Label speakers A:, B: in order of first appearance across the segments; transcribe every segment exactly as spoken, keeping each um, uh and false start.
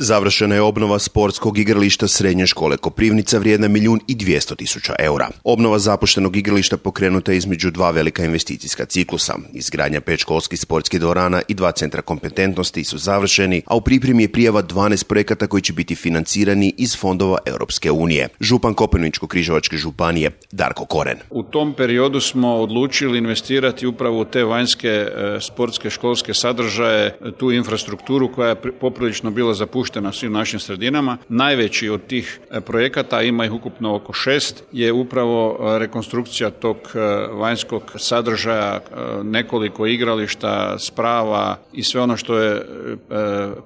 A: Završena je obnova sportskog igrališta Srednje škole Koprivnica vrijedna milijun i dvjesto tisuća eura. Obnova zapuštenog igrališta pokrenuta je između dva velika investicijska ciklusa. Izgradnja pet školskih sportskih dvorana i dva centra kompetentnosti su završeni, a u pripremi je prijava dvanaest projekata koji će biti financirani iz fondova Europske unije. Župan Koprivničko-križevačke županije Darko Koren.
B: U tom periodu smo odlučili investirati upravo u te vanjske e, sportske školske sadržaje, tu infrastrukturu koja je poprilično bila zapuštena svim našim sredinama. Najveći od tih e, projekata, ima ih ukupno oko šest, je upravo e, rekonstrukcija tog e, vanjskog sadržaja, e, nekoliko igrališta, sprava i sve ono što je e,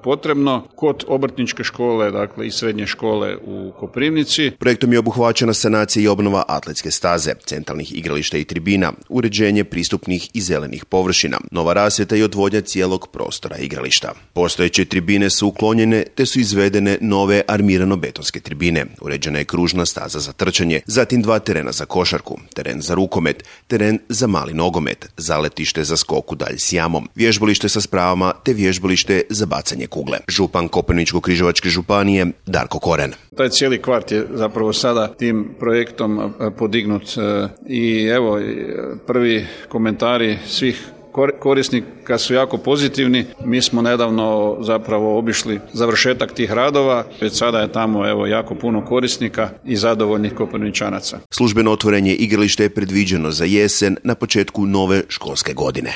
B: potrebno kod obrtničke škole, dakle i srednje škole u Koprivnici.
A: Projektom je obuhvaćena sanacija i obnova atletske staze, centralnih igrališta i tribina, uređenje pristupnih i zelenih površina, nova rasvjeta i odvodnja cijelog prostora igrališta. Postojeće tribine su uklonjene te su izvedene nove armirano-betonske tribine. Uređena je kružna staza za trčanje, zatim dva terena za košarku, teren za rukomet, teren za mali nogomet, zaletište za skok u dalj s jamom, vježbalište sa spravama te vježbalište za bacanje kugle. Župan Koprivničko-križevačke županije Darko Koren.
B: Taj cijeli kvart je zapravo sada tim projektom podignut i evo prvi komentari svih korisnika su jako pozitivni. Mi smo nedavno zapravo obišli završetak tih radova. Već sada je tamo evo jako puno korisnika i zadovoljnih Koprivničanaca.
A: Službeno otvorenje igrališta je predviđeno za jesen na početku nove školske godine.